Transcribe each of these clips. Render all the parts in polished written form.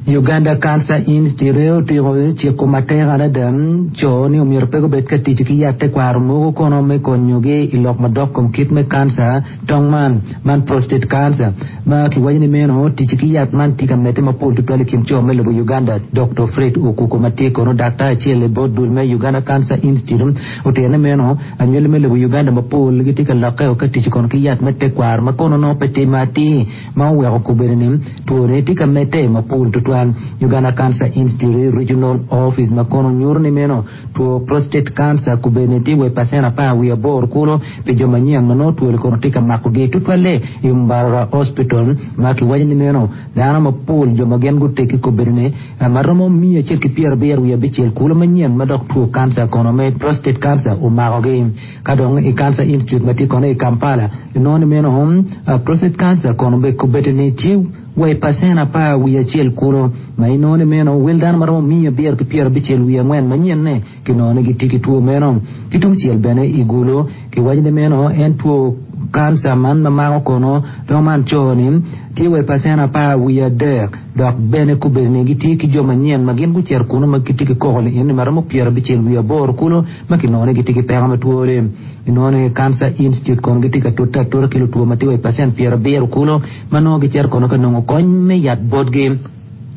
Uganda Cancer Institute otyeko ciko matek adada co ni omyero pe gubed ka tic ki yat tekwaro mogo kono me konyogi i lok madok kom kit me kanca tong man, man prostate cancer, ma kiwaco ni meno tic ki yat man tye ka medde mapol tutwal i kin co me lobo Uganda. Dokto Fred Okuku ma tye kono daktar acel i bot dul me Uganda Cancer Institute otito ni meno anywali me lobo Uganda mapol gitye ka lokke ka tic kono ki yat me tekwaro ma kono nongo pe timme atir ma oweko kobedo ni twone tye ka medde mapol tutwal. Uganda Cancer Institute Regional Office ma kono nyuto ni meno two prostate cancer kobedo ni tye wa i pacen 18 kulu pi jo manyen ma nongo twoni kono tye ka makogi tutwalle i Mbarara Hospital ma kiwaco ni meno dano mapol jo ma gin guteggi kobedo ni ma romo 175 kulu manyen ma dok two kanca kono me prostate cancer omakogi. Ka dong i Cancer Institute ma tye kono i Kampala, inongo ni meno prostate cancer kono bene kobeddi ni tye wa i pacen 11 kulu, ma inongo ni meno wel dano ma romo 594 manyen-ne kinongo ni gitye ki two meno. Ki tungcel bene i Gulu, kiwaco ni meno en two kanca man ma mako kono dong man co-ni tye wa i pacen 13 dok bene kobeddi ni gitye ki jo manyen ma gin gucito kunu ma gitye ki koko ni eni ma romo 58 kulu. ma kinongo ni gitye ki peko me twoni. Inongo ni Cancer Institute kono gitye ka tute atuta ki lutwo ma tye wa i pacent 70 kulu ma nongo gicito kono ka nongo kony me yat botgi.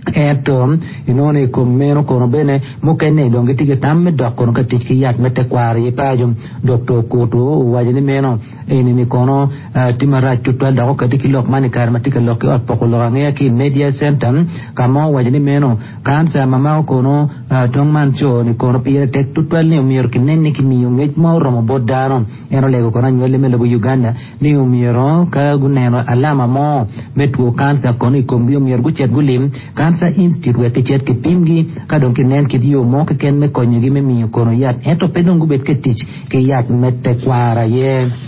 Ento inongo ni i kom meno kono bene mukene dong gitye ki tam me dok kono ka tic ki yat me tekwaro i paco. Doktor Kutu owaco ni meno eni-ni kono tye marac tutwal dok okati ki lok man i kare ma tye ka lok ki ot poko lok angeya ki i Media Center ka ma owaco ni meno Kanca ma mako kono tong man co ni kono pire tek tutwal ni omyero kinen ni kimiyo ngec ma oromo bot dano. En olego kono anywali me lobo Uganda ni omyero ka guneno alama mo me two kanca kono i komgi omyero gucit gulim Cancer Institute wek kicit kipimgi ka dong kinen kit yo mo keken me konyogi me miyo kono yat ento pe dong gubed ka tic ki yat me tekwaro aye.